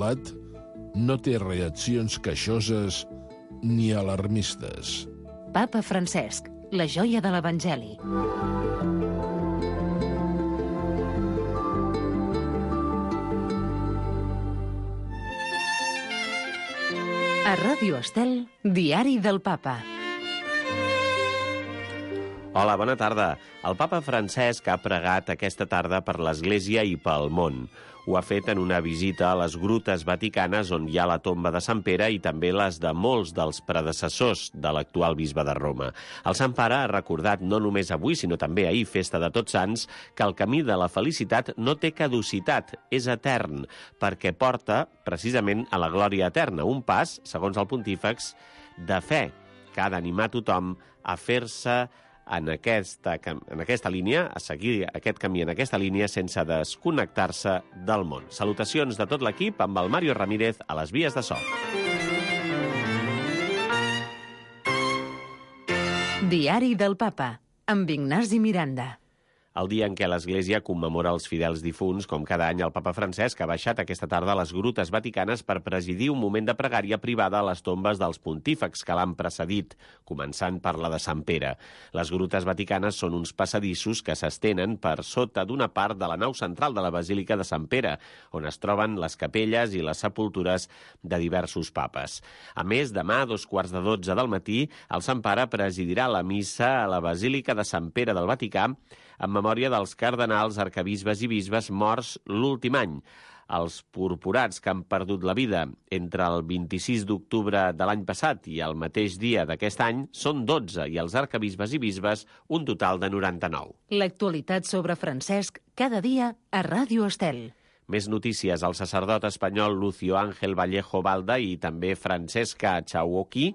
relat no té reaccions queixoses ni alarmistes. Papa Francesc, la joia de l'Evangeli. A Ràdio Estel, Diari del Papa. Hola, bona tarda. El papa Francesc ha pregat aquesta tarda per l'Església i pel món. Ho ha fet en una visita a les grutes vaticanes on hi ha la tomba de Sant Pere i també les de molts dels predecessors de l'actual bisbe de Roma. El Sant Pare ha recordat no només avui, sinó també ahir, festa de Tots Sants, que el camí de la felicitat no té caducitat, és etern, perquè porta precisament a la glòria eterna, un pas, segons el pontífex, de fe, que ha d'animar tothom a fer-se en aquesta línia, a seguir aquest camí en aquesta línia sense desconnectar-se del món. Salutacions de tot l'equip amb el Mario Ramírez a les vies de so. Diari del Papa, amb Ignasi Miranda. El dia en què l'Església commemora els fidels difunts, com cada any el papa Francesc ha baixat aquesta tarda a les grutes vaticanes per presidir un moment de pregària privada a les tombes dels pontífex que l'han precedit, començant per la de Sant Pere. Les grutes vaticanes són uns passadissos que s'estenen per sota d'una part de la nau central de la Basílica de Sant Pere, on es troben les capelles i les sepultures de diversos papes. A més, demà, a 11:15 del matí, el Sant Pare presidirà la missa a la Basílica de Sant Pere del Vaticà en memòria dels cardenals, arquebisbes i bisbes morts l'últim any. Els purpurats que han perdut la vida entre el 26 d'octubre de l'any passat i el mateix dia d'aquest any són 12 i els arquebisbes i bisbes un total de 99. L'actualitat sobre Francesc cada dia a Ràdio Estel. Més notícies. El sacerdot espanyol Lucio Ángel Vallejo Balda i també Francesca Chauoqui,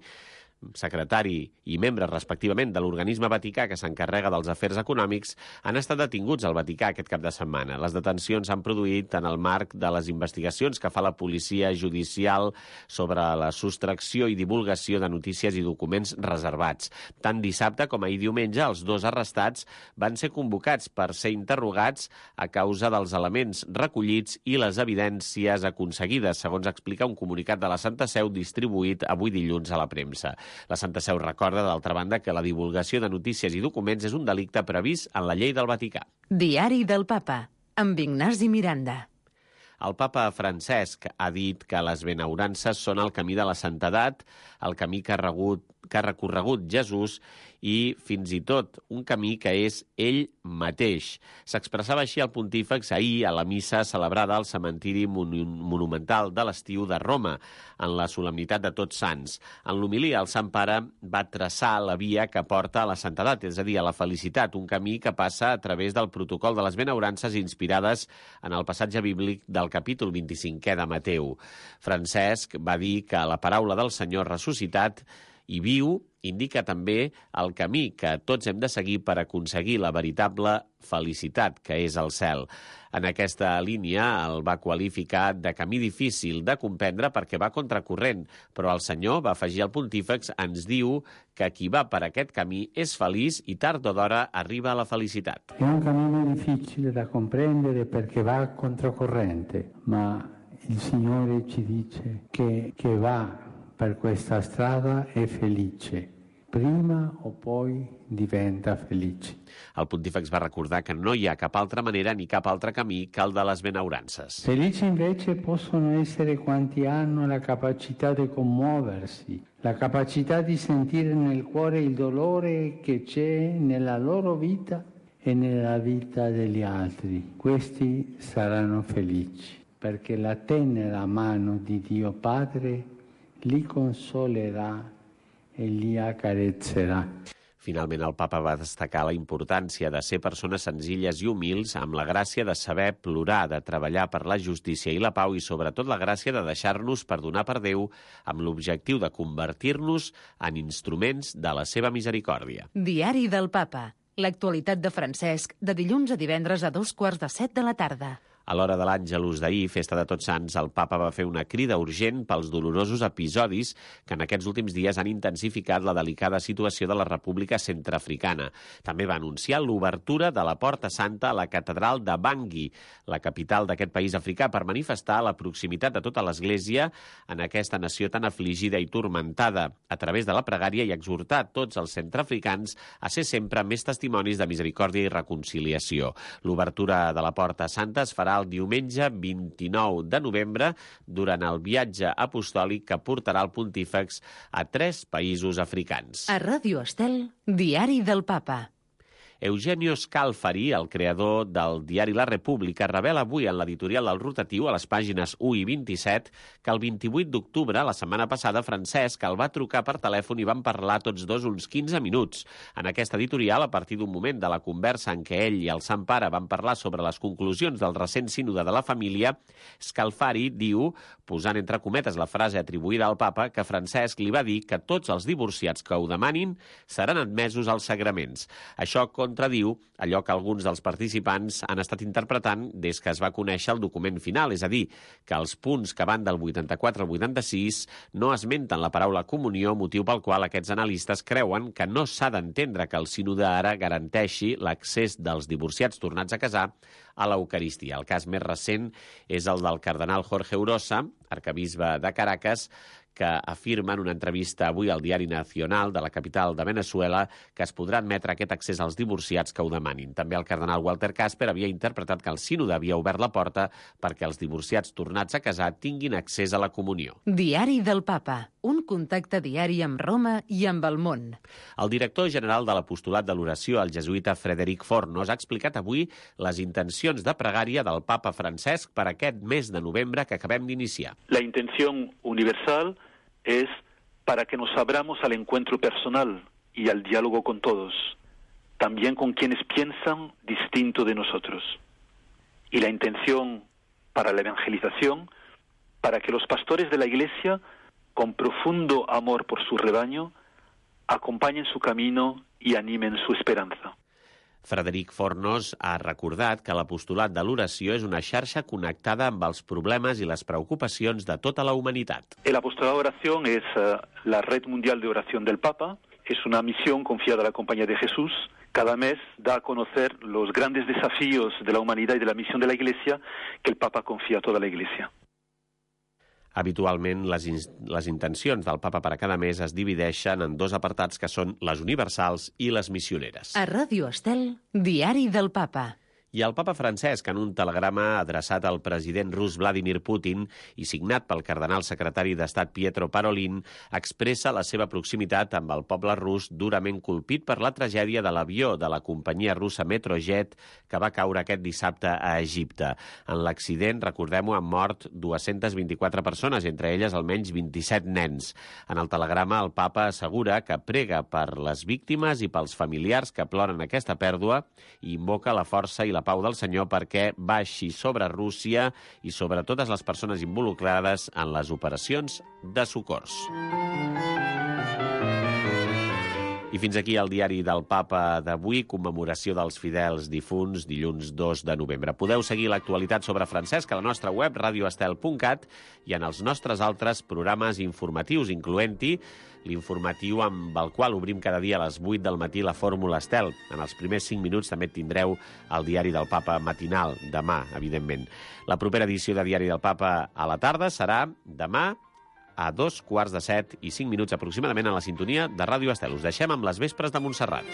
secretari i membre respectivament de l'organisme vaticà que s'encarrega dels afers econòmics, han estat detinguts al Vaticà aquest cap de setmana. Les detencions s'han produït en el marc de les investigacions que fa la policia judicial sobre la sostracció i divulgació de notícies i documents reservats. Tant dissabte com ahir diumenge, els dos arrestats van ser convocats per ser interrogats a causa dels elements recollits i les evidències aconseguides, segons explica un comunicat de la Santa Seu distribuït avui dilluns a la premsa. La Santa Seu recorda, d'altra banda, que la divulgació de notícies i documents és un delicte previst en la llei del Vaticà. Diari del Papa, amb Ignasi Miranda. El papa Francesc ha dit que les benaurances són el camí de la santedat, el camí que ha recorregut Jesús i fins i tot un camí que és ell mateix. S'expressava així el pontífex ahir a la missa celebrada al cementiri monumental de l'Estiu de Roma, en la solemnitat de Tots Sants. En l'homilia, el Sant Pare va traçar la via que porta a la santedat, és a dir, a la felicitat, un camí que passa a través del protocol de les benaurances inspirades en el passatge bíblic del capítol 25è de Mateu. Francesc va dir que la paraula del Senyor ressuscitat i viu indica també el camí que tots hem de seguir per aconseguir la veritable felicitat, que és el cel. En aquesta línia el va qualificar de camí difícil de comprendre perquè va contracorrent, però el Senyor, va afegir el pontífex, ens diu que qui va per aquest camí és feliç i tard o d'hora arriba a la felicitat. È un cammino difficile da comprendere perché va controcorrente, ma il Signore ci dice che va per questa strada è felice. Prima o poi diventa felice. El pontífex va recordar que no hi ha cap altra manera ni cap altre camí que el de les benaurances. Felici invece possono essere quanti hanno la capacità di commuoversi, la capacità di sentire nel cuore il dolore che c'è nella loro vita e nella vita degli altri. Questi saranno felici, perché la tenera mano di Dio Padre li consolerà e li accarezzerà. Finalment, el papa va destacar la importància de ser persones senzilles i humils, amb la gràcia de saber plorar, de treballar per la justícia i la pau i, sobretot, la gràcia de deixar-nos perdonar per Déu amb l'objectiu de convertir-nos en instruments de la seva misericòrdia. Diari del Papa. L'actualitat de Francesc, de dilluns a divendres a 14:45 de la tarda. A l'hora de l'Àngelus d'ahir, festa de Tots Sants, el papa va fer una crida urgent pels dolorosos episodis que en aquests últims dies han intensificat la delicada situació de la República Centreafricana. També va anunciar l'obertura de la Porta Santa a la catedral de Bangui, la capital d'aquest país africà, per manifestar la proximitat de tota l'Església en aquesta nació tan afligida i turmentada, a través de la pregària, i exhortar tots els centreafricans a ser sempre més testimonis de misericòrdia i reconciliació. L'obertura de la Porta Santa es farà el diumenge 29 de novembre durant el viatge apostòlic que portarà el pontífex a 3 països africans. A Ràdio Estel, Diari del Papa. Eugenio Scalfari, el creador del diari La República, revela avui en l'editorial del Rotatiu, a les pàgines 1 i 27, que el 28 d'octubre, la setmana passada, Francesc el va trucar per telèfon i van parlar tots dos uns 15 minuts. En aquesta editorial, a partir d'un moment de la conversa en què ell i el Sant Pare van parlar sobre les conclusions del recent sínode de la família, Scalfari diu, posant entre cometes la frase atribuïda al papa, que Francesc li va dir que tots els divorciats que ho demanin seran admesos als sagraments. Això contradiu allò que alguns dels participants han estat interpretant des que es va conèixer el document final, és a dir, que els punts que van del 84 al 86 no esmenten la paraula comunió, motiu pel qual aquests analistes creuen que no s'ha d'entendre que el sínode ara garanteixi l'accés dels divorciats tornats a casar a l'Eucaristia. El cas més recent és el del cardenal Jorge Urosa, arcabisbe de Caracas, que afirma en una entrevista avui al Diari Nacional de la capital de Venezuela que es podrà admetre aquest accés als divorciats que ho demanin. També el cardenal Walter Casper havia interpretat que el sínode havia obert la porta perquè els divorciats tornats a casar tinguin accés a la comunió. Diari del Papa. Un contacte diari amb Roma i amb el món. El director general de l'Apostolat de l'Oració, el jesuïta Frederic Fornos, ha explicat avui les intencions de pregària del papa Francesc per aquest mes de novembre que acabem d'iniciar. La intención universal es para que nos abramos al encuentro personal y al diálogo con todos, también con quienes piensan distinto de nosotros. Y la intención para la evangelización, para que los pastores de la Iglesia, con profundo amor por su rebaño, acompañen su camino y animen su esperanza. Frederic Fornos ha recordat que l'apostolat de l'oració és una xarxa connectada amb els problemes i les preocupacions de tota la humanitat. El apostolado de oración es la red mundial de oración del Papa. Es una misión confiada a la Compañía de Jesús. Cada mes da a conocer los grandes desafíos de la humanidad y de la misión de la Iglesia que el Papa confía a toda la Iglesia. Habitualment, les intencions del papa per a cada mes es divideixen en 2 apartats que són les universals i les missioneres. A Ràdio Estel, Diari del Papa. I el papa Francesc, en un telegrama adreçat al president rus Vladimir Putin i signat pel cardenal secretari d'Estat Pietro Parolin, expressa la seva proximitat amb el poble rus durament colpit per la tragèdia de l'avió de la companyia russa Metrojet que va caure aquest dissabte a Egipte. En l'accident, recordem-ho, han mort 224 persones, entre elles almenys 27 nens. En el telegrama, el papa assegura que prega per les víctimes i pels familiars que ploren aquesta pèrdua i invoca la força i la pau del Senyor perquè baixi sobre Rússia i sobre totes les persones involucrades en les operacions de socors. I fins aquí el diari del Papa d'avui, commemoració dels fidels difunts, dilluns 2 de novembre. Podeu seguir l'actualitat sobre Francesc a la nostra web, radioestel.cat, i en els nostres altres programes informatius, incloent-hi l'informatiu amb el qual obrim cada dia a les 8 del matí la Fórmula Estel. En els primers 5 minuts també tindreu el diari del Papa matinal, demà, evidentment. La propera edició de Diari del Papa a la tarda serà demà a 2:45 i 5 minuts aproximadament a la sintonia de Ràdio Estel. Us deixem amb les vespres de Montserrat.